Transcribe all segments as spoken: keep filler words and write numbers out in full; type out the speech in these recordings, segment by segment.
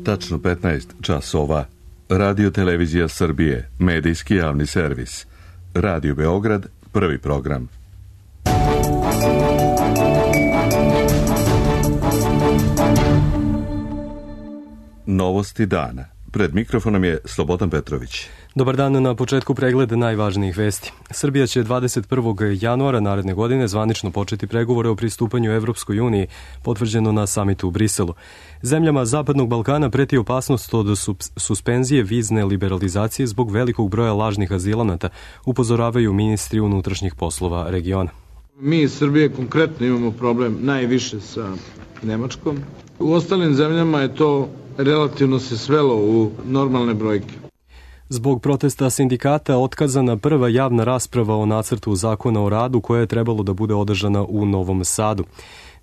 Tačno petnaest časova. Radio Televizija Srbije, medijski javni servis. Radio Beograd, prvi program. Novosti dana. Pred mikrofonom je Slobodan Petrović. Dobar dan, na početku pregled najvažnijih vesti. Srbija će dvadeset prvog januara naredne godine zvanično početi pregovore o pristupanju Evropskoj uniji, potvrđeno na samitu u Briselu. Zemljama Zapadnog Balkana preti opasnost od suspenzije vizne liberalizacije zbog velikog broja lažnih azilanata, upozoravaju ministri unutrašnjih poslova regiona. Mi iz Srbije konkretno imamo problem najviše sa Nemačkom. U ostalim zemljama je to relativno se svelo u normalne brojke. Zbog protesta sindikata otkazana prva javna rasprava o nacrtu zakona o radu koja je trebalo da bude održana u Novom Sadu.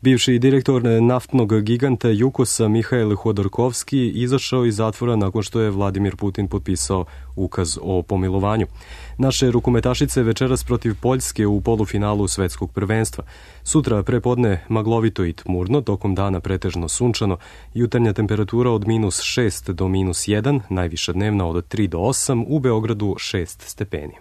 Bivši direktor naftnog giganta Jukosa Mihail Hodorkovski izašao iz zatvora nakon što je Vladimir Putin potpisao ukaz o pomilovanju. Naše rukometašice večeras protiv Poljske u polufinalu svetskog prvenstva. Sutra prepodne maglovito i tmurno, tokom dana pretežno sunčano, jutarnja temperatura od minus šest do minus jedan, najviša dnevna od tri do osam, u Beogradu šest stepeni.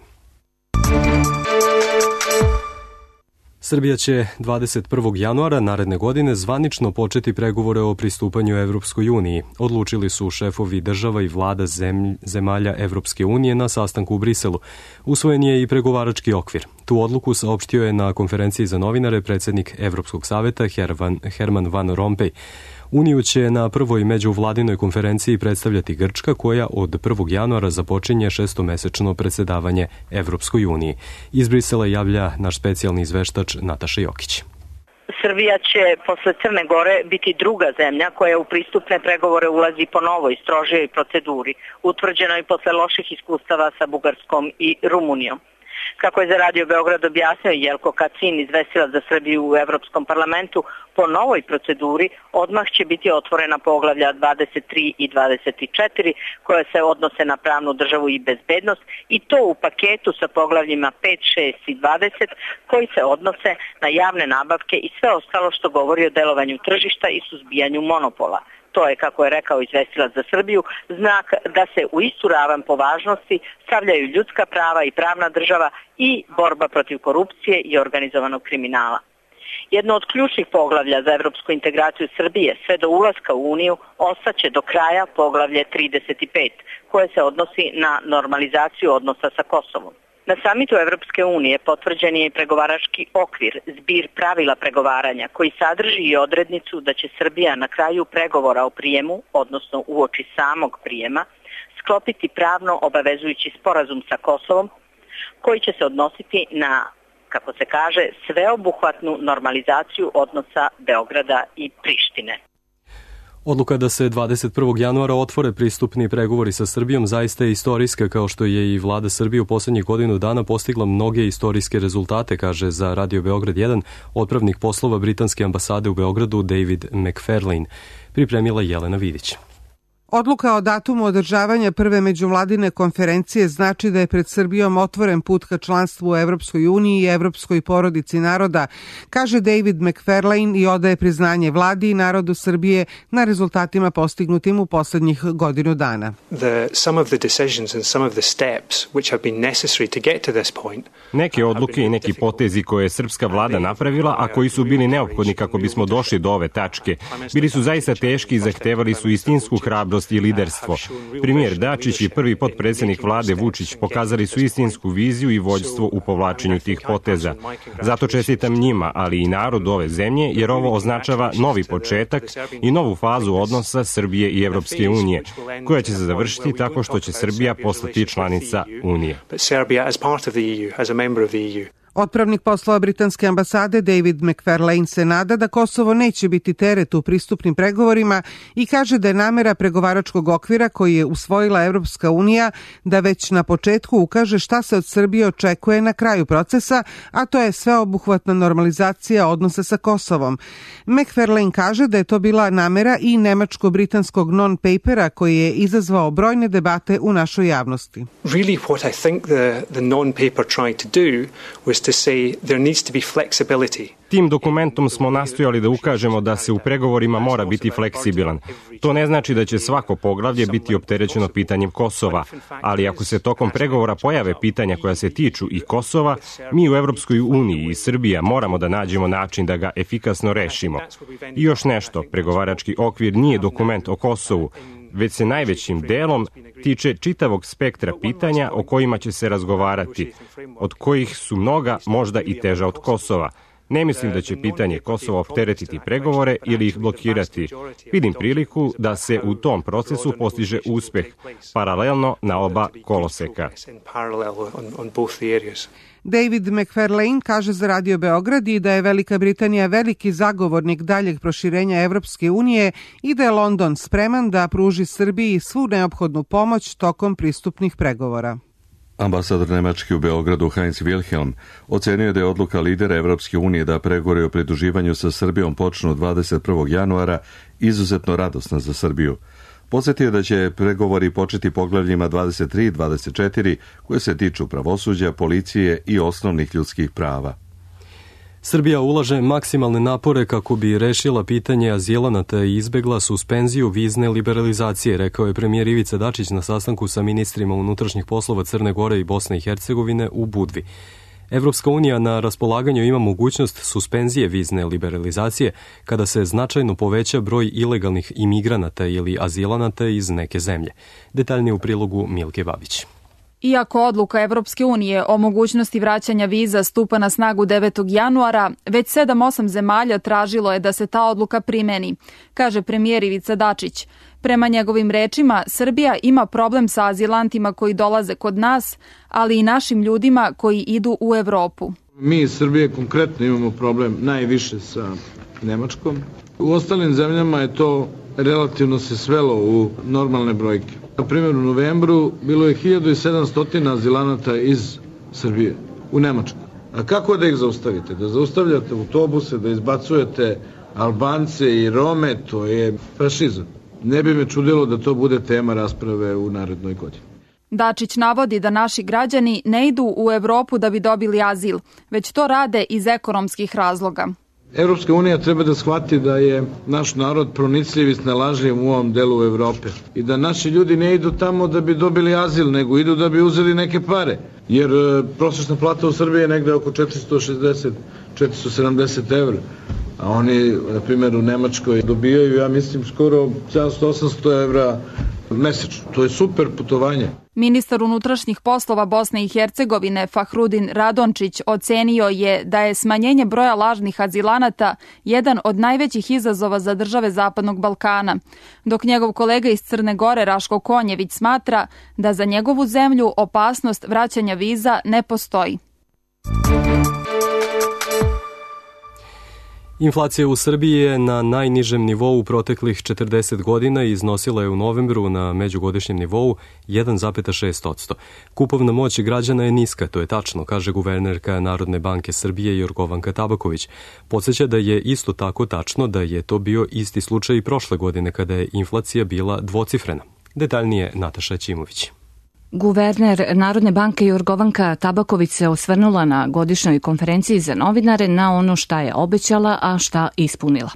Srbija će dvadeset prvog januara naredne godine zvanično početi pregovore o pristupanju Evropskoj uniji. Odlučili su šefovi država i vlada zemlj, zemalja Evropske unije na sastanku u Briselu. Usvojen je i pregovarački okvir. Tu odluku saopštio je na konferenciji za novinare predsjednik Evropskog saveta Herman, Herman Van Rompuy. Uniju će na prvoj međuvladinoj konferenciji predstavljati Grčka, koja od prvog januara započinje šestomesečno predsjedavanje Evropskoj uniji. Iz Brisela javlja naš specijalni izveštač Nataša Jokić. Srbija će posle Crne Gore biti druga zemlja koja u pristupne pregovore ulazi po novoj, strožijoj proceduri, utvrđenoj posle loših iskustava sa Bugarskom i Rumunijom. Kako je za Radio Beograd objasnio Jelko Kacin, izvestilac za Srbiju u Evropskom parlamentu, po novoj proceduri odmah će biti otvorena poglavlja dvadeset tri i dvadeset četiri koje se odnose na pravnu državu i bezbednost, i to u paketu sa poglavljima pet, šest i dvadeset koji se odnose na javne nabavke i sve ostalo što govori o delovanju tržišta i suzbijanju monopola. To je, kako je rekao izvestilac za Srbiju, znak da se u istu ravan po važnosti stavljaju ljudska prava i pravna država i borba protiv korupcije i organizovanog kriminala. Jedno od ključnih poglavlja za evropsku integraciju Srbije sve do ulaska u Uniju ostaće do kraja poglavlje trideset pet, koje se odnosi na normalizaciju odnosa sa Kosovom. Na samitu Evropske unije potvrđen je i pregovarački okvir, zbir pravila pregovaranja, koji sadrži i odrednicu da će Srbija na kraju pregovora o prijemu, odnosno uoči samog prijema, sklopiti pravno obavezujući sporazum sa Kosovom, koji će se odnositi na, kako se kaže, sveobuhvatnu normalizaciju odnosa Beograda i Prištine. Odluka da se dvadeset prvog januara otvore pristupni pregovori sa Srbijom zaista je istorijska, kao što je i vlada Srbije u poslednjih godinu dana postigla mnoge istorijske rezultate, kaže za Radio Beograd jedan otpravnik poslova britanske ambasade u Beogradu David McFarlane. Pripremila Jelena Vidić. Odluka o datumu održavanja prve međuvladine konferencije znači da je pred Srbijom otvoren put ka članstvu u Evropskoj uniji i evropskoj porodici naroda, kaže David McFarlane i odaje priznanje vladi i narodu Srbije na rezultatima postignutim u poslednjih godinu dana. Neke odluke i neki potezi koje je srpska vlada napravila, a koji su bili neophodni kako bismo došli do ove tačke, bili su zaista teški i zahtevali su istinsku hrabrost i liderstvo. Premijer Dačić i prvi potpredsjednik vlade Vučić pokazali su istinsku viziju i vođstvo u povlačenju tih poteza. Zato čestitam njima, ali i narodu ove zemlje, jer ovo označava novi početak i novu fazu odnosa Srbije i Evropske unije, koja će se završiti tako što će Srbija postati članica Unije. Otpravnik poslova britanske ambasade David McFarlane se nada da Kosovo neće biti teret u pristupnim pregovorima i kaže da je namera pregovaračkog okvira koji je usvojila Evropska unija da već na početku ukaže šta se od Srbije očekuje na kraju procesa, a to je sveobuhvatna normalizacija odnosa sa Kosovom. McFarlane kaže da je to bila namera i nemačko-britanskog non-papera koji je izazvao brojne debate u našoj javnosti. Really what I think the, the non-paper tried to do was was to say there needs to be flexibility. Tim dokumentom smo nastojali da ukažemo da se u pregovorima mora biti fleksibilan. To ne znači da će svako poglavlje biti opterećeno pitanjem Kosova, ali ako se tokom pregovora pojave pitanja koja se tiču i Kosova, mi u Evropskoj uniji i Srbija moramo da nađemo način da ga efikasno rešimo. I još nešto, pregovarački okvir nije dokument o Kosovu, već se najvećim delom tiče čitavog spektra pitanja o kojima će se razgovarati, od kojih su mnoga možda i teža od Kosova. Ne mislim da će pitanje Kosova opteretiti pregovore ili ih blokirati. Vidim priliku da se u tom procesu postiže uspeh, paralelno na oba koloseka. David McFarlane kaže za Radio Beograd i da je Velika Britanija veliki zagovornik daljeg proširenja Evropske unije i da je London spreman da pruži Srbiji svu neophodnu pomoć tokom pristupnih pregovora. Ambasador Nemačke u Beogradu Heinz Wilhelm ocenio da je odluka lidera Evropske unije da pregovori o pridruživanju sa Srbijom počnu dvadeset prvog januara izuzetno radosna za Srbiju. Podsjetio da će pregovori početi poglavljima dvadeset tri i dvadeset četiri koje se tiču pravosuđa, policije i osnovnih ljudskih prava. Srbija ulaže maksimalne napore kako bi rešila pitanje azilanata i izbegla suspenziju vizne liberalizacije, rekao je premijer Ivica Dačić na sastanku sa ministrima unutrašnjih poslova Crne Gore i Bosne i Hercegovine u Budvi. Evropska unija na raspolaganju ima mogućnost suspenzije vizne liberalizacije kada se značajno poveća broj ilegalnih imigranata ili azilanata iz neke zemlje. Detaljnije u prilogu Milke Babić. Iako odluka Evropske unije o mogućnosti vraćanja viza stupa na snagu devetog januara, već sedam osam zemalja tražilo je da se ta odluka primeni, kaže premijer Ivica Dačić. Prema njegovim rečima, Srbija ima problem sa azilantima koji dolaze kod nas, ali i našim ljudima koji idu u Evropu. Mi iz Srbije konkretno imamo problem najviše sa Nemačkom. U ostalim zemljama je to relativno se svelo u normalne brojke. Na primjer, u novembru bilo je hiljadu sedamsto azilanata iz Srbije u Nemačku. A kako da ih zaustavite? Da zaustavljate autobuse, da izbacujete Albance i Rome, to je fašizam. Ne bi me čudilo da to bude tema rasprave u narednoj godini. Dačić navodi da naši građani ne idu u Evropu da bi dobili azil, već to rade iz ekonomskih razloga. Evropska unija treba da shvati da je naš narod pronicljiv i snalažljiv u ovom delu Evrope i da naši ljudi ne idu tamo da bi dobili azil, nego idu da bi uzeli neke pare. Jer e, prosječna plata u Srbiji je negde oko četiristo šezdeset do četiristo sedamdeset evra, a oni, na primjer, u Nemačkoj dobijaju, ja mislim, skoro sedamsto do osamsto evra mesečno. To je super putovanje. Ministar unutrašnjih poslova Bosne i Hercegovine Fahrudin Radončić ocenio je da je smanjenje broja lažnih azilanata jedan od najvećih izazova za države Zapadnog Balkana, dok njegov kolega iz Crne Gore Raško Konjević smatra da za njegovu zemlju opasnost vraćanja viza ne postoji. Inflacija u Srbiji je na najnižem nivou u proteklih četrdeset godina i iznosila je u novembru na međugodišnjem nivou jedan zarez šest posto. Kupovna moć građana je niska, to je tačno, kaže guvernerka Narodne banke Srbije Jorgovanka Tabaković. Podsjeća da je isto tako tačno da je to bio isti slučaj i prošle godine kada je inflacija bila dvocifrena. Detaljnije Nataša Ćimović. Guverner Narodne banke Jorgovanka Tabaković se osvrnula na godišnjoj konferenciji za novinare na ono šta je obećala, a šta ispunila.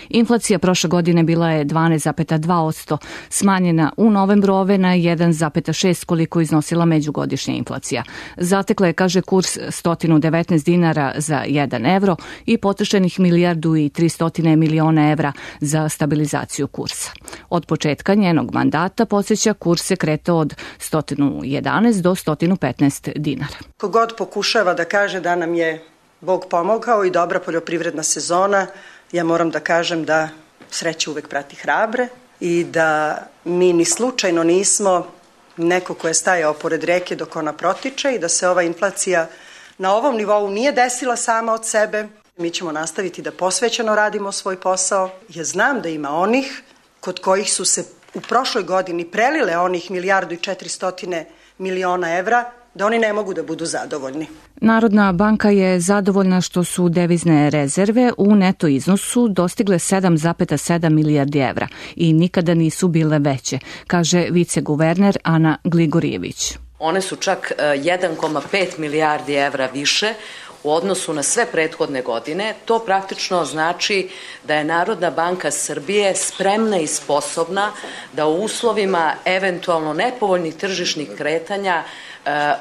Inflacija prošle godine bila je dvanaest zarez dva posto, smanjena u novembru ove na jedan zarez šest koliko iznosila međugodišnja inflacija. Zatekla je, kaže, kurs sto devetnaest dinara za jedan evro i potrošenih milijardu i tristo miliona evra za stabilizaciju kursa. Od početka njenog mandata, podsjeća, kurs se kretao od sto jedanaest do sto petnaest dinara. Kogod pokušava da kaže da nam je Bog pomogao i dobra poljoprivredna sezona, ja moram da kažem da sreća uvek prati hrabre i da mi ni slučajno nismo neko ko je stajao pored reke dok ona protiče i da se ova inflacija na ovom nivou nije desila sama od sebe. Mi ćemo nastaviti da posvećeno radimo svoj posao. Ja znam da ima onih kod kojih su se u prošloj godini prelile onih milijardu i četiristotine miliona evra, da oni ne mogu da budu zadovoljni. Narodna banka je zadovoljna što su devizne rezerve u neto iznosu dostigle sedam zarez sedam milijardi evra i nikada nisu bile veće, kaže viceguverner Ana Gligorijević. One su čak jedan zarez pet milijardi evra više u odnosu na sve prethodne godine, to praktično znači da je Narodna banka Srbije spremna i sposobna da u uslovima eventualno nepovoljnih tržišnih kretanja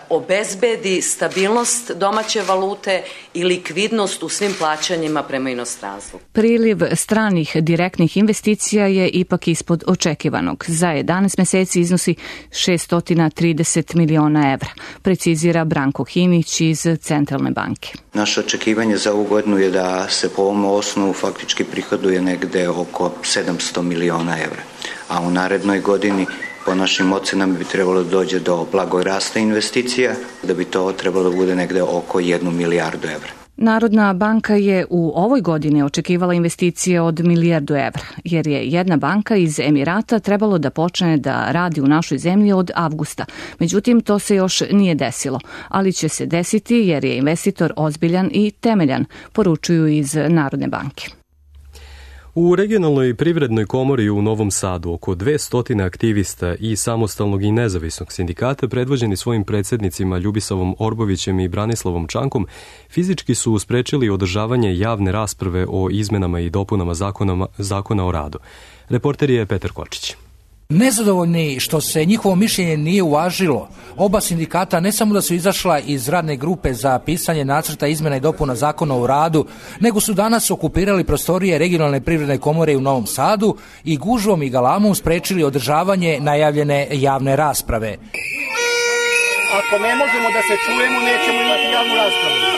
obezbedi stabilnost domaće valute i likvidnost u svim plaćanjima prema inostranstvu. Priliv stranih direktnih investicija je ipak ispod očekivanog. Za jedanaest meseci iznosi šesto trideset miliona evra, precizira Branko Hinić iz Centralne banke. Naše očekivanje za ovu godinu je da se po ovom osnovu faktički prihoduje negde oko sedamsto miliona evra, a u narednoj godini po našim ocenama bi trebalo da dođe do blagog rasta investicija, da bi to trebalo da bude negde oko jednu milijardu evra. Narodna banka je u ovoj godini očekivala investicije od milijardu evra, jer je jedna banka iz Emirata trebalo da počne da radi u našoj zemlji od avgusta. Međutim, to se još nije desilo, ali će se desiti jer je investitor ozbiljan i temeljan, poručuju iz Narodne banke. U regionalnoj privrednoj komori u Novom Sadu oko dvesta aktivista i samostalnog i nezavisnog sindikata predvođeni svojim predsjednicima Ljubisavom Orbovićem i Branislavom Čankom fizički su sprečili održavanje javne rasprave o izmenama i dopunama zakona, zakona o radu. Reporter je Petar Kočić. Nezadovoljni što se njihovo mišljenje nije uvažilo, oba sindikata ne samo da su izašla iz radne grupe za pisanje nacrta izmena i dopuna zakona o radu, nego su danas okupirali prostorije regionalne privredne komore u Novom Sadu i gužvom i galamom sprečili održavanje najavljene javne rasprave. Ako ne možemo da se čujemo, nećemo imati javnu raspravu.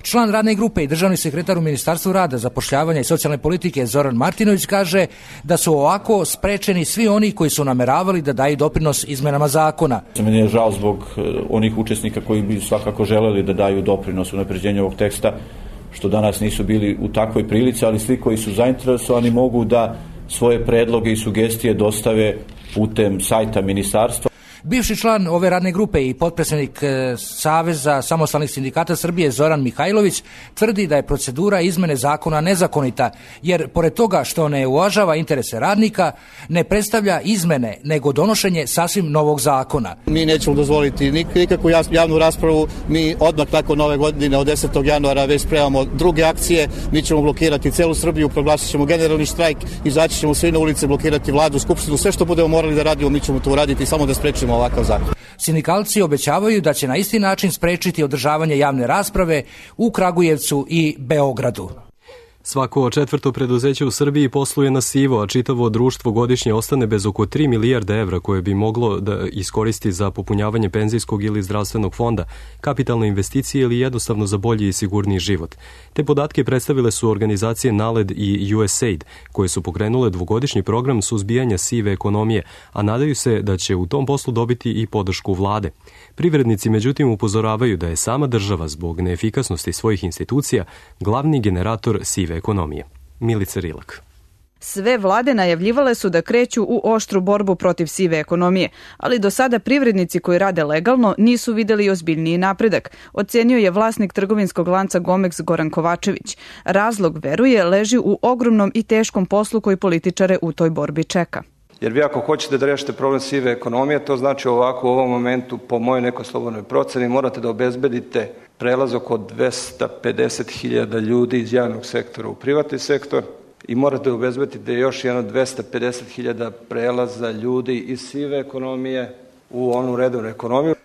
Član radne grupe i državni sekretar u Ministarstvu rada, zapošljavanja i socijalne politike Zoran Martinović kaže da su ovako sprečeni svi oni koji su nameravali da daju doprinos izmenama zakona. Meni je žao zbog onih učesnika koji bi svakako želeli da daju doprinos u unapređenju ovog teksta, što danas nisu bili u takvoj prilici, ali svi koji su zainteresovani mogu da svoje predloge i sugestije dostave putem sajta ministarstva. Bivši član ove radne grupe i potpredsjednik Saveza samostalnih sindikata Srbije Zoran Mihajlović tvrdi da je procedura izmene zakona nezakonita, jer pored toga što ne uvažava interese radnika, ne predstavlja izmene, nego donošenje sasvim novog zakona. Mi nećemo dozvoliti nikakvu javnu raspravu, mi odmah nakon nove godine od desetog januara već spremamo druge akcije, mi ćemo blokirati celu Srbiju, proglasit ćemo generalni štrajk, izaći ćemo svi na ulice, blokirati vladu, skupštinu, sve što budemo morali da radimo, mi ćemo to uraditi samo da sprečimo ovakav zakon. Sindikalci obećavaju da će na isti način sprečiti održavanje javne rasprave u Kragujevcu i Beogradu. Svako četvrto preduzeće u Srbiji posluje na sivo, a čitavo društvo godišnje ostane bez oko tri milijarde evra koje bi moglo da iskoristi za popunjavanje penzijskog ili zdravstvenog fonda, kapitalne investicije ili jednostavno za bolji i sigurniji život. Te podatke predstavile su organizacije NALED i U S A I D, koje su pokrenule dvogodišnji program suzbijanja sive ekonomije, a nadaju se da će u tom poslu dobiti i podršku vlade. Privrednici međutim upozoravaju da je sama država zbog neefikasnosti svojih institucija glavni generator sive ekonomije. Milica Rilak. Sve vlade najavljivale su da kreću u oštru borbu protiv sive ekonomije, ali do sada privrednici koji rade legalno nisu videli ozbiljniji napredak, ocenio je vlasnik trgovinskog lanca Gomex Goran Kovačević. Razlog, veruje, leži u ogromnom i teškom poslu koji političare u toj borbi čeka. Jer vi ako hoćete da rešite problem sive ekonomije, to znači ovako u ovom momentu, po mojoj nekoj slobodnoj proceni, morate da obezbedite prelazak od dvesta pedeset hiljada ljudi iz javnog sektora u privatni sektor i morate da obezbedite još jedno dvesta pedeset hiljada prelaza ljudi iz sive ekonomije u onu redovnu ekonomiju.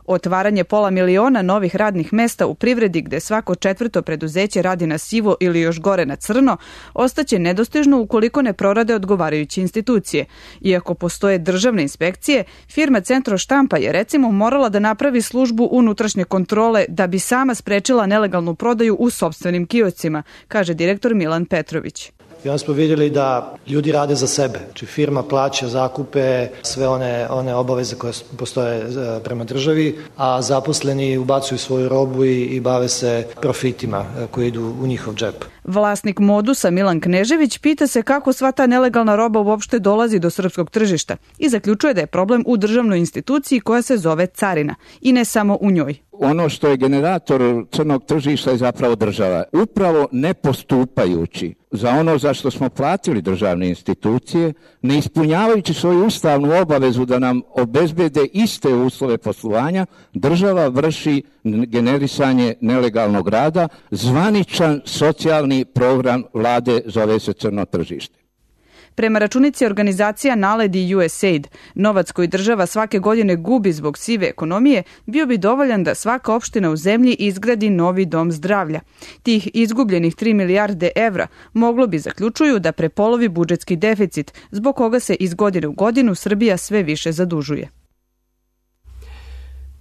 Otvaranje pola miliona novih radnih mesta u privredi gde svako četvrto preduzeće radi na sivo ili još gore na crno, ostaće nedostižno ukoliko ne prorade odgovarajuće institucije. Iako postoje državne inspekcije, firma Centro štampa je recimo morala da napravi službu unutrašnje kontrole da bi sama sprečila nelegalnu prodaju u sopstvenim kioscima, kaže direktor Milan Petrović. I onda smo vidjeli da ljudi rade za sebe. Znači firma plaća zakupe, sve one, one obaveze koje postoje prema državi, a zaposleni ubacuju svoju robu i, i bave se profitima koji idu u njihov džep. Vlasnik Modusa Milan Knežević pita se kako sva ta nelegalna roba uopšte dolazi do srpskog tržišta i zaključuje da je problem u državnoj instituciji koja se zove carina i ne samo u njoj. ono što je generator crnog tržišta je zapravo država. Upravo ne postupajući za ono za što smo platili državne institucije, ne ispunjavajući svoju ustavnu obavezu da nam obezbede iste uslove poslovanja, država vrši generisanje nelegalnog rada. Zvaničan socijalni program vlade zove se crno tržište. Prema računici organizacija NALED i U S A I D, novac koji država svake godine gubi zbog sive ekonomije bio bi dovoljan da svaka opština u zemlji izgradi novi dom zdravlja. Tih izgubljenih tri milijarde evra moglo bi, zaključuju, da prepolovi budžetski deficit, zbog koga se iz godine u godinu Srbija sve više zadužuje.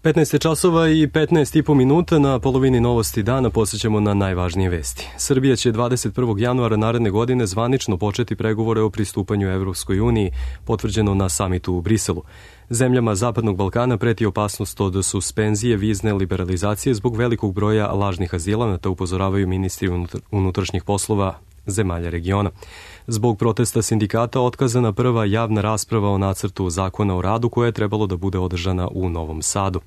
petnaest časova i petnaest i po minuta, na polovini Novosti dana posjećamo na najvažnije vesti. Srbija će dvadeset prvog januara naredne godine zvanično početi pregovore o pristupanju Evropskoj uniji, potvrđeno na samitu u Briselu. Zemljama Zapadnog Balkana preti opasnost od suspenzije vizne liberalizacije zbog velikog broja lažnih azilanata, upozoravaju ministri unutrašnjih poslova zemalja regiona. Zbog protesta sindikata otkazana prva javna rasprava o nacrtu zakona o radu koja je trebalo da bude održana u Novom Sadu.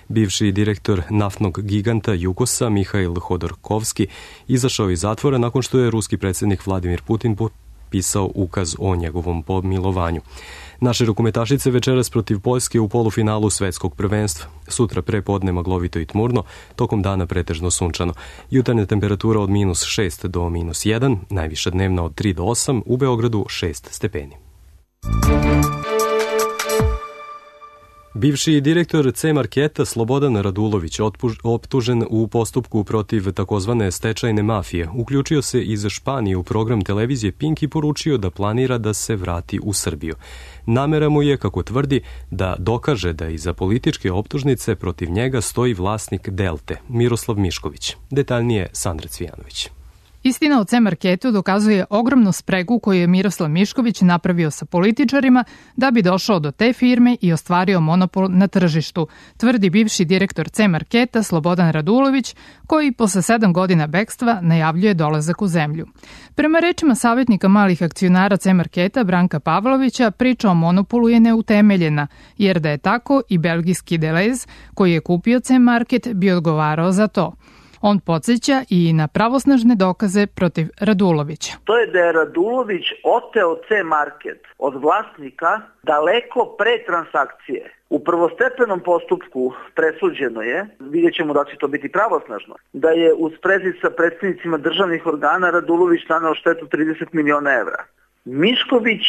Bivši direktor naftnog giganta Jukosa Mihail Hodorkovski izašao iz zatvora nakon što je ruski predsjednik Vladimir Putin potpisao ukaz o njegovom pomilovanju. Naše rukometašice večeras protiv Poljske u polufinalu svetskog prvenstva. Sutra pre podne maglovito i tmurno, tokom dana pretežno sunčano. Jutarnja temperatura od minus šest do minus jedan, najviša dnevna od tri do osam, u Beogradu šest stepeni. Bivši direktor C-marketa Slobodan Radulović, optužen u postupku protiv takozvane stečajne mafije, uključio se iz Španije u program televizije Pink i poručio da planira da se vrati u Srbiju. Namera mu je, kako tvrdi, da dokaže da iza političke optužnice protiv njega stoji vlasnik Delte, Miroslav Mišković. Detaljnije Sandra Cvijanović. Istina o C-marketu dokazuje ogromnu spregu koju je Miroslav Mišković napravio sa političarima da bi došao do te firme i ostvario monopol na tržištu, tvrdi bivši direktor C-marketa Slobodan Radulović, koji posle sedam godina bekstva najavljuje dolazak u zemlju. Prema rečima savjetnika malih akcionara C-marketa Branka Pavlovića, priča o monopolu je neutemeljena, jer da je tako i belgijski Deleuze, koji je kupio C-market, bi odgovarao za to. On podsjeća i na pravosnažne dokaze protiv Radulovića. To je da je Radulović oteo C-market od vlasnika daleko pre transakcije. U prvostepenom postupku presuđeno je, vidjet ćemo da će to biti pravosnažno, da je u sprezi sa predstavnicima državnih organa Radulović naneo štetu trideset miliona evra. Mišković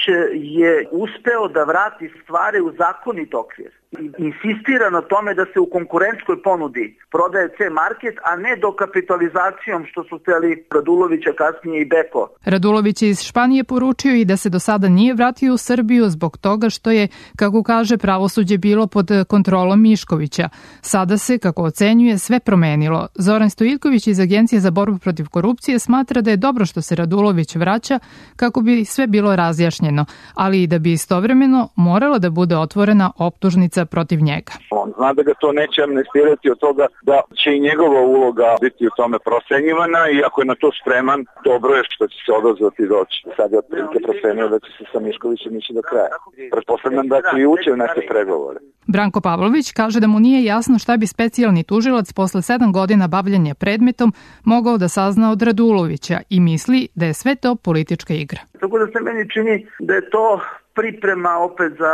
je uspeo da vrati stvari u zakonit okvir. Insistira na tome da se u konkurentskoj ponudi prodaje C-market, a ne dokapitalizacijom što su hteli Radulovića, kasnije i Beko. Radulović je iz Španije poručio i da se do sada nije vratio u Srbiju zbog toga što je, kako kaže, pravosuđe bilo pod kontrolom Miškovića. Sada se, kako ocenjuje, sve promenilo. Zoran Stojiljković iz Agencije za borbu protiv korupcije smatra da je dobro što se Radulović vraća kako bi sve bilo razjašnjeno, ali i da bi istovremeno morala da bude otvorena optužnica protiv njega. On zna da ga to neće amnestirati od toga da će i njegova uloga biti u tome procenjivana i ako je na to spreman, dobro je što će se odazvati i doći. Sad je otprilike procenio da će se sa Miškovićem ići do kraja. Pretpostavljam da će i ući u neke pregovore. Branko Pavlović kaže da mu nije jasno šta bi specijalni tužilac posle sedam godina bavljanja predmetom mogao da sazna od Radulovića i misli da je sve to politička igra. Tako da se meni čini da je to priprema opet za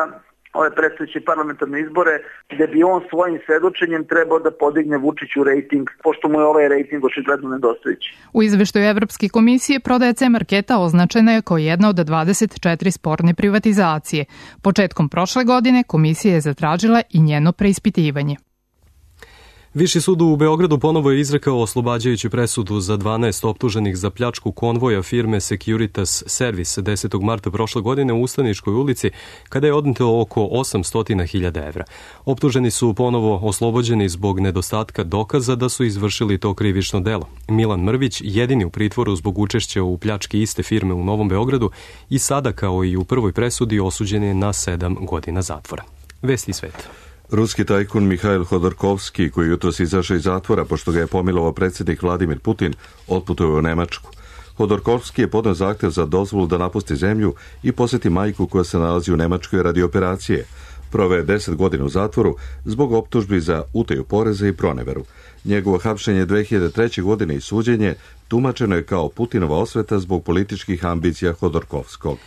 ove predstojeće parlamentarne izbore, gde bi on svojim svedočenjem trebao da podigne Vučiću rejting, pošto mu je ovaj rejting očigledno nedostajući. U izveštaju Evropske komisije prodaja C-marketa označena je kao jedna od dvadeset četiri sporne privatizacije. Početkom prošle godine komisija je zatražila i njeno preispitivanje. Viši sud u Beogradu ponovo je izrekao oslobađajuću presudu za dvanaest optuženih za pljačku konvoja firme Securitas Service desetog marta prošle godine u Ustaničkoj ulici, kada je odneto oko osamsto hiljada evra. Optuženi su ponovo oslobođeni zbog nedostatka dokaza da su izvršili to krivično delo. Milan Mrvić, jedini u pritvoru zbog učešća u pljački iste firme u Novom Beogradu, i sada, kao i u prvoj presudi, osuđen je na sedam godina zatvora. Vesti sveta. Ruski tajkun Mihail Hodorkovski, koji jutros izašao iz zatvora pošto ga je pomilovao predsjednik Vladimir Putin, otputuje u Nemačku. Hodorkovski je podneo zahtev za dozvolu da napusti zemlju i posjeti majku koja se nalazi u Nemačkoj radi operacije. proveo je deset godina u zatvoru zbog optužbi za utaju poreza i proneveru. Njegovo hapšenje dve hiljade treće. godine i suđenje tumačeno je kao Putinova osveta zbog političkih ambicija Hodorkovskog.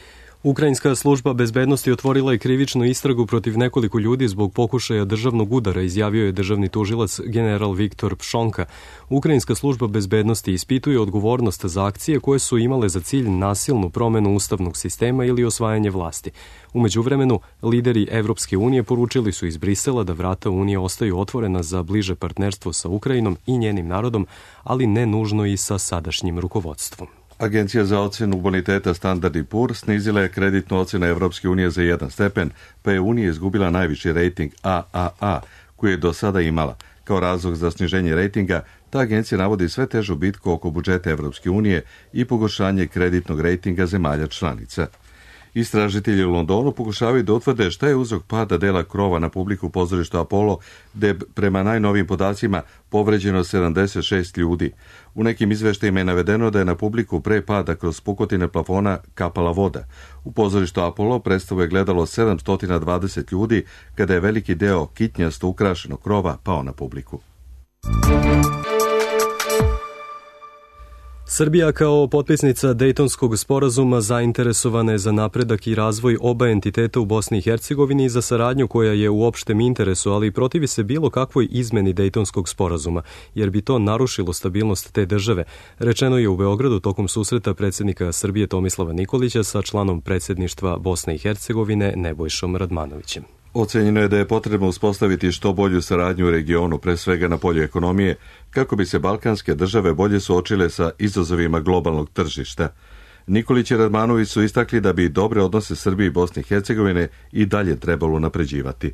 Ukrajinska služba bezbednosti otvorila je krivičnu istragu protiv nekoliko ljudi zbog pokušaja državnog udara, izjavio je državni tužilac general Viktor Pšonka. Ukrajinska služba bezbednosti ispituje odgovornost za akcije koje su imale za cilj nasilnu promenu ustavnog sistema ili osvajanje vlasti. U međuvremenu, lideri Evropske unije poručili su iz Brisela da vrata Unije ostaju otvorena za bliže partnerstvo sa Ukrajinom i njenim narodom, ali ne nužno i sa sadašnjim rukovodstvom. Agencija za ocjenu boniteta Standard and Poor's snizila je kreditnu ocjenu Evropske unije za jedan stepen, pa je Unija izgubila najviši rejting A A A, koji je do sada imala. Kao razlog za sniženje rejtinga, ta agencija navodi sve težu bitku oko budžeta Evropske unije i pogoršanje kreditnog rejtinga zemalja članica. Istražitelji u Londonu pokušavaju da utvrde šta je uzrok pada dela krova na publiku pozorišta Apollo, gde prema najnovijim podacima povređeno sedamdeset šest ljudi. U nekim izveštajima je navedeno da je na publiku pre pada kroz pukotine plafona kapala voda. U pozorištu Apollo predstavu je gledalo sedamsto dvadeset ljudi, kada je veliki deo kitnjasto ukrašenog krova pao na publiku. Srbija kao potpisnica Dejtonskog sporazuma zainteresovana je za napredak i razvoj oba entiteta u Bosni i Hercegovini i za saradnju koja je u opštem interesu, ali protivi se bilo kakvoj izmeni Dejtonskog sporazuma, jer bi to narušilo stabilnost te države, rečeno je u Beogradu tokom susreta predsjednika Srbije Tomislava Nikolića sa članom predsjedništva Bosne i Hercegovine Nebojšom Radmanovićem. Ocenjeno je da je potrebno uspostaviti što bolju saradnju u regionu, pre svega na polju ekonomije, kako bi se balkanske države bolje suočile sa izazovima globalnog tržišta. Nikolić i Radmanović su istakli da bi dobre odnose Srbije i Bosne i Hercegovine i dalje trebalo unapređivati.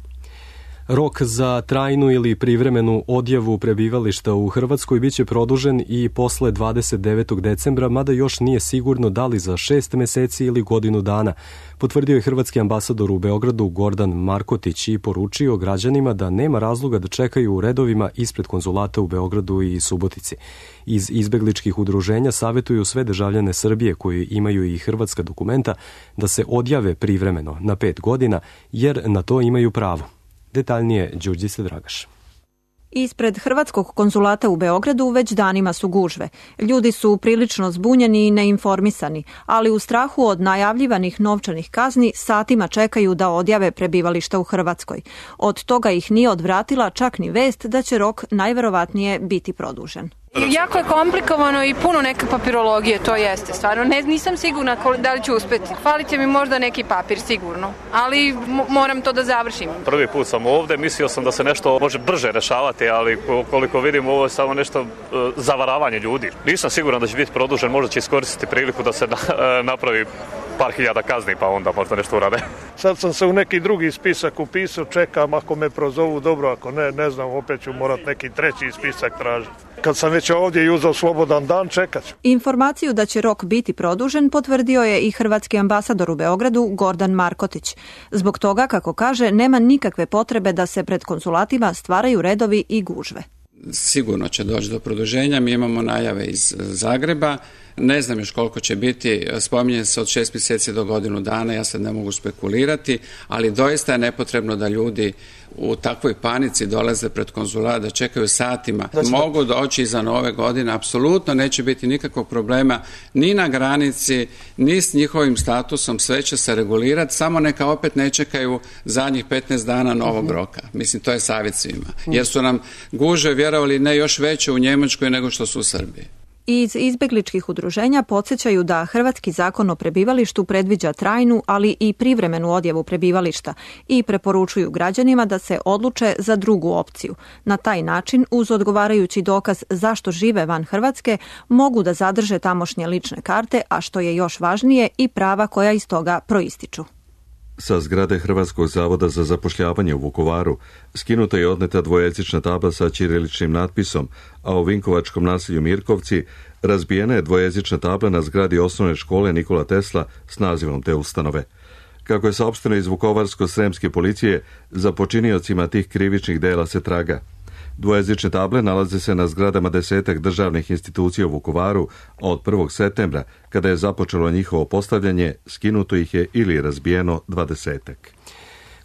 Rok za trajnu ili privremenu odjavu prebivališta u Hrvatskoj biće produžen i posle dvadeset devetog decembra, mada još nije sigurno da li za šest meseci ili godinu dana, potvrdio je hrvatski ambasador u Beogradu Gordan Markotić i poručio građanima da nema razloga da čekaju u redovima ispred konzulata u Beogradu i Subotici. Iz izbegličkih udruženja savetuju sve državljane Srbije koji imaju i hrvatska dokumenta da se odjave privremeno na pet godina, jer na to imaju pravo. Detaljnije Đurđica Dragaš. Ispred hrvatskog konzulata u Beogradu već danima su gužve. Ljudi su prilično zbunjeni i neinformisani, ali u strahu od najavljivanih novčanih kazni satima čekaju da odjave prebivališta u Hrvatskoj. Od toga ih nije odvratila čak ni vest da će rok najverovatnije biti produžen. Jako je komplikovano i puno neke papirologije, to jeste. Stvarno ne, nisam sigurna da li ću uspeti. Falite mi možda neki papir, sigurno, ali moram to da završim. Prvi put sam ovde, mislio sam da se nešto može brže rešavati, ali koliko vidim ovo je samo nešto uh, zavaravanje ljudi. Nisam siguran da će biti produžen, možda će iskoristiti priliku da se na, uh, napravi par hiljada kazni, pa onda možda nešto urade. Sad sam se u neki drugi spisak upisao, čekam ako me prozovu dobro, ako ne, ne znam, opet ću morat neki treći spisak tražiti. Kad sam već ovdje i uzao slobodan dan, čekat ću. Informaciju da će rok biti produžen potvrdio je i hrvatski ambasador u Beogradu Gordan Markotić. Zbog toga, kako kaže, nema nikakve potrebe da se pred konzulatima stvaraju redovi i gužve. Sigurno će doći do produženja, mi imamo najave iz Zagreba, ne znam još koliko će biti, spominje se od šest mjeseci do godinu dana, ja sad ne mogu spekulirati, ali doista je nepotrebno da ljudi u takvoj panici dolaze pred konzulat, da čekaju satima, znači, mogu doći iza nove godine, apsolutno neće biti nikakvog problema ni na granici, ni s njihovim statusom, sve će se regulirati, samo neka opet ne čekaju zadnjih petnaest dana novog uh-huh. roka. Mislim, to je savjet svima, uh-huh. jer su nam gužve, vjerovali, ne još veće u Njemačkoj nego što su u Srbiji. Iz izbegličkih udruženja podsjećaju da hrvatski zakon o prebivalištu predviđa trajnu, ali i privremenu odjavu prebivališta i preporučuju građanima da se odluče za drugu opciju. Na taj način, uz odgovarajući dokaz zašto žive van Hrvatske, mogu da zadrže tamošnje lične karte, a što je još važnije, i prava koja iz toga proističu. Sa zgrade Hrvatskog zavoda za zapošljavanje u Vukovaru skinuta je odneta dvojezična tabla sa ćiriličnim natpisom, a u vinkovačkom naselju Mirkovci razbijena je dvojezična tabla na zgradi osnovne škole Nikola Tesla s nazivom te ustanove. Kako je saopšteno iz Vukovarsko-sremske policije, za počiniocima tih krivičnih dela se traga. Dvojezične table nalaze se na zgradama desetak državnih institucija u Vukovaru, a od prvog septembra, kada je započelo njihovo postavljanje, skinuto ih je ili razbijeno dvadesetak.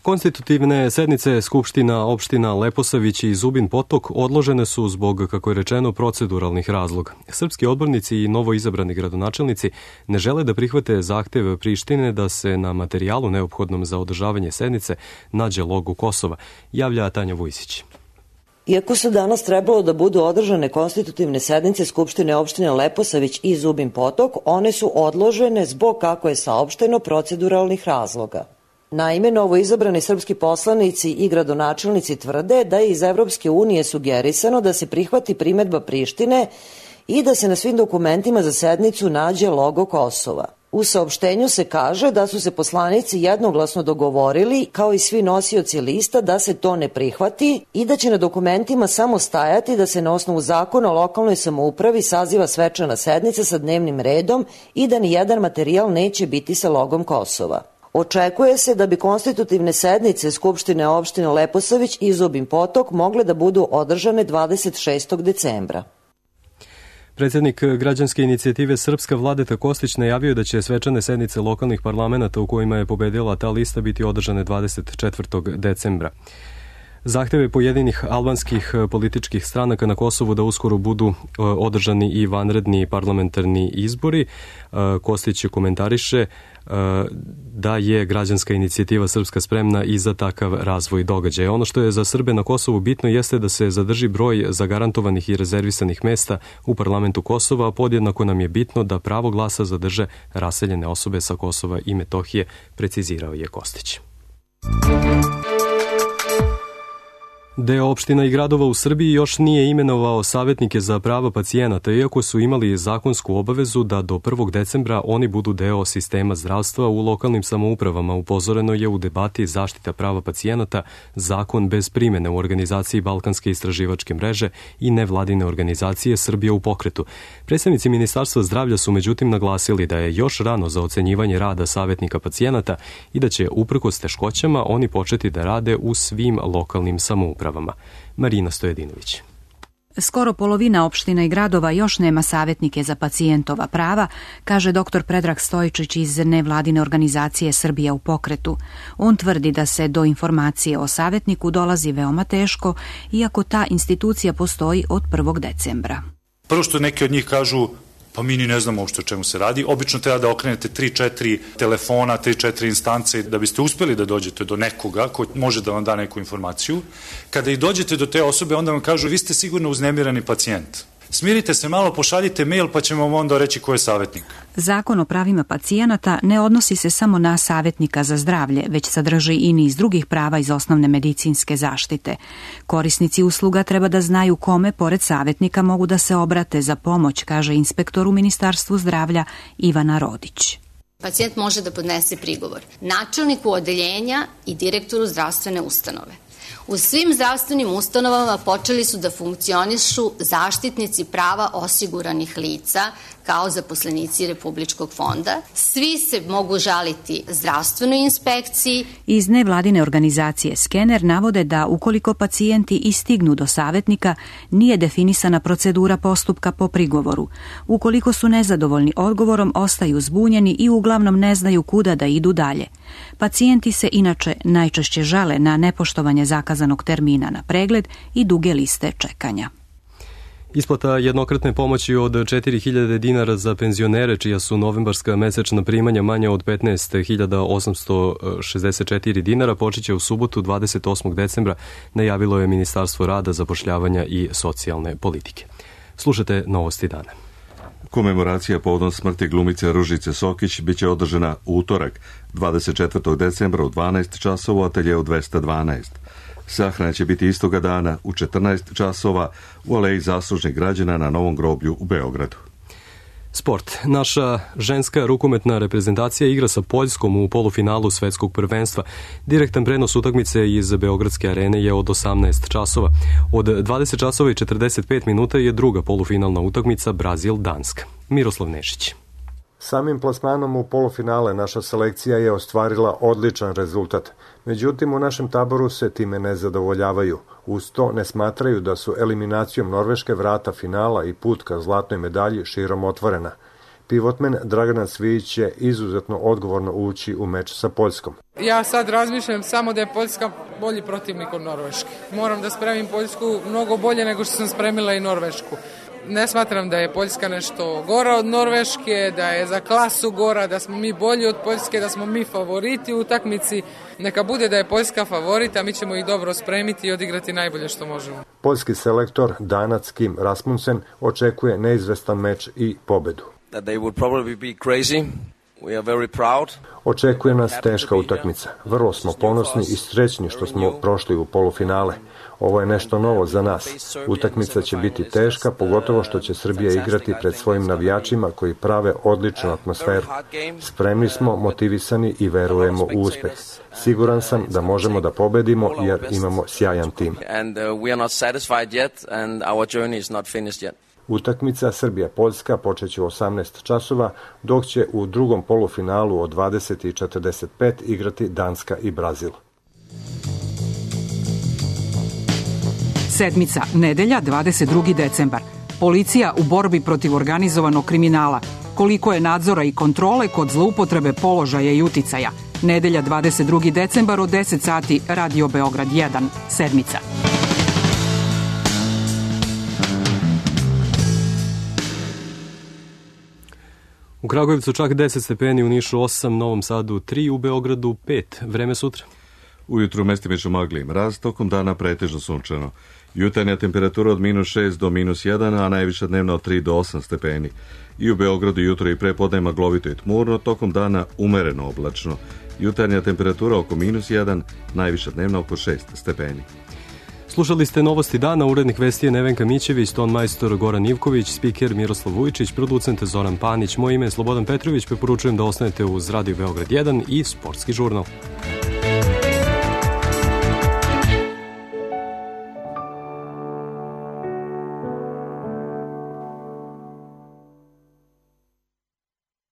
Konstitutivne sednice Skupština opština Leposavić i Zubin Potok odložene su zbog, kako je rečeno, proceduralnih razloga. Srpski odbornici i novo izabrani gradonačelnici ne žele da prihvate zahtev Prištine da se na materijalu neophodnom za održavanje sednice nađe logo Kosova, javlja Tanja Vujsić. Iako su danas trebalo da budu održane konstitutivne sednice Skupštine opštine Leposavić i Zubin Potok, one su odložene zbog, kako je saopšteno, proceduralnih razloga. Naime, novo izabrani srpski poslanici i gradonačelnici tvrde da je iz Evropske unije sugerisano da se prihvati primedba Prištine i da se na svim dokumentima za sednicu nađe logo Kosova. U saopštenju se kaže da su se poslanici jednoglasno dogovorili, kao i svi nosioci lista, da se to ne prihvati i da će na dokumentima samo stajati da se na osnovu zakona o lokalnoj samoupravi saziva svečana sednica sa dnevnim redom i da ni jedan materijal neće biti sa logom Kosova. Očekuje se da bi konstitutivne sednice Skupštine opštine Leposavić i Zubin Potok mogle da budu održane dvadeset šestog decembra. Predsjednik građanske inicijative Srpska Vladeta Kostić najavio da će svečane sednice lokalnih parlamenta u kojima je pobedila ta lista biti održane dvadeset četvrtog decembra. Zahteve pojedinih albanskih političkih stranaka na Kosovu da uskoro budu održani i vanredni parlamentarni izbori. Kostić komentariše da je građanska inicijativa Srpska spremna i za takav razvoj događaja. Ono što je za Srbe na Kosovu bitno jeste da se zadrži broj zagarantovanih i rezervisanih mesta u parlamentu Kosova, a podjednako nam je bitno da pravo glasa zadrže raseljene osobe sa Kosova i Metohije, precizirao je Kostić. Deo opština i gradova u Srbiji još nije imenovao savjetnike za prava pacijenata, iako su imali zakonsku obavezu da do prvog decembra oni budu deo sistema zdravstva u lokalnim samoupravama. Upozoreno je u debati zaštita prava pacijenata, zakon bez primene u organizaciji Balkanske istraživačke mreže i nevladine organizacije Srbija u pokretu. Predstavnici Ministarstva zdravlja su međutim naglasili da je još rano za ocenjivanje rada savjetnika pacijenata i da će uprkos teškoćama oni početi da rade u svim lokalnim samoupravama. Marina Stojedinović. Skoro polovina opština i gradova još nema savjetnike za pacijentova prava, kaže doktor Predrag Stojičić iz nevladine organizacije Srbija u pokretu. On tvrdi da se do informacije o savjetniku dolazi veoma teško, iako ta institucija postoji od prvog decembra. Prvo što neki od njih kažu, pa mi ni ne znamo uopšte o čemu se radi. Obično treba da okrenete tri četiri telefona, tri četiri instance da biste uspeli da dođete do nekoga ko može da vam da neku informaciju. Kada i dođete do te osobe, onda vam kažu, vi ste sigurno uznemirani pacijent. Smirite se malo, pošaljite mail pa ćemo vam onda reći ko je savjetnik. Zakon o pravima pacijenata ne odnosi se samo na savjetnika za zdravlje, već sadrži i niz drugih prava iz osnovne medicinske zaštite. Korisnici usluga treba da znaju kome, pored savjetnika, mogu da se obrate za pomoć, kaže inspektor u Ministarstvu zdravlja Ivana Rodić. Pacijent može da podnese prigovor načelniku odeljenja i direktoru zdravstvene ustanove. U svim zdravstvenim ustanovama počeli su da funkcionišu zaštitnici prava osiguranih lica kao zaposlenici Republičkog fonda. Svi se mogu žaliti zdravstvenoj inspekciji. Iz nevladine organizacije Skener navode da ukoliko pacijenti i stignu do savjetnika, nije definisana procedura postupka po prigovoru. Ukoliko su nezadovoljni odgovorom, ostaju zbunjeni i uglavnom ne znaju kuda da idu dalje. Pacijenti se inače najčešće žale na nepoštovanje zakazanog termina na pregled i duge liste čekanja. Isplata jednokratne pomoći od četiri hiljade dinara za penzionere čija su novembarska mesečna primanja manja od petnaest hiljada osamsto šezdeset četiri dinara počeće u subotu dvadeset osmog decembra, najavilo je Ministarstvo rada, zapošljavanja i socijalne politike. Slušajte novosti dana. Komemoracija povodom smrti glumice Ružice Sokić biće održana u utorak, dvadeset četvrtog decembra u dvanaest časova u ateljeu dvesta dvanaest. Sahrana će biti istoga dana u četrnaest časova u aleji zaslužnih građana na Novom groblju u Beogradu. Sport. Naša ženska rukometna reprezentacija igra sa Poljskom u polufinalu svetskog prvenstva. Direktan prenos utakmice iz Beogradske arene je od osamnaest časova. Od dvadeset časova i četrdeset pet minuta je druga polufinalna utakmica Brazil-Danska. Miroslav Nešić. Samim plasmanom u polufinale naša selekcija je ostvarila odličan rezultat. Međutim, u našem taboru se time ne zadovoljavaju. Uz to ne smatraju da su eliminacijom Norveške vrata finala i put ka zlatnoj medalji širom otvorena. Pivotmen Dragana Cvijić će izuzetno odgovorno ući u meč sa Poljskom. Ja sad razmišljam samo da je Poljska bolji protivnik od Norveške. Moram da spremim Poljsku mnogo bolje nego što sam spremila i Norvešku. Ne smatram da je Poljska nešto gora od Norveške, da je za klasu gora, da smo mi bolji od Poljske, da smo mi favoriti u utakmici. Neka bude da je Poljska favorit, a mi ćemo ih dobro spremiti i odigrati najbolje što možemo. Poljski selektor Danac Kim Rasmussen očekuje neizvestan meč i pobedu. That they would probably be crazy. We are very proud. Očekuje nas teška utakmica. Vrlo smo ponosni i srećni što smo prošli u polufinale. Ovo je nešto novo za nas. Utakmica će biti teška, pogotovo što će Srbija igrati pred svojim navijačima koji prave odličnu atmosferu. Spremni smo, motivisani i verujemo u uspeh. Siguran sam da možemo da pobedimo jer imamo sjajan tim. Utakmica Srbija-Poljska počeće u osamnaest časova, dok će u drugom polufinalu od dvadeset i četrdeset pet igrati Danska i Brazil. Sedmica, nedelja, dvadeset drugi decembar. Policija u borbi protiv organizovanog kriminala. Koliko je nadzora i kontrole kod zloupotrebe položaja i uticaja. Nedelja, dvadeset drugi decembar od deset sati, Radio Beograd jedan. Sedmica. U Kragujevcu čak deset stepeni, u Nišu osam, Novom Sadu tri, u Beogradu pet. Vreme sutra. Ujutru mestimično magli i mraz, tokom dana pretežno sunčano. Jutarnja temperatura od minus šest do minus jedan, a najviša dnevna od tri do osam stepeni. I u Beogradu jutro i prepodne maglovito i tmurno, tokom dana umereno oblačno. Jutarnja temperatura oko minus jedan, najviša dnevna oko šest stepeni. Slušali ste Novosti dana, urednik vesti je Nevenka Mićević, ton majstor Goran Ivković, spiker Miroslav Vujčić, producent Zoran Panić. Moje ime je Slobodan Petrović, preporučujem da ostanete uz Radio Beograd jedan i Sportski žurnal.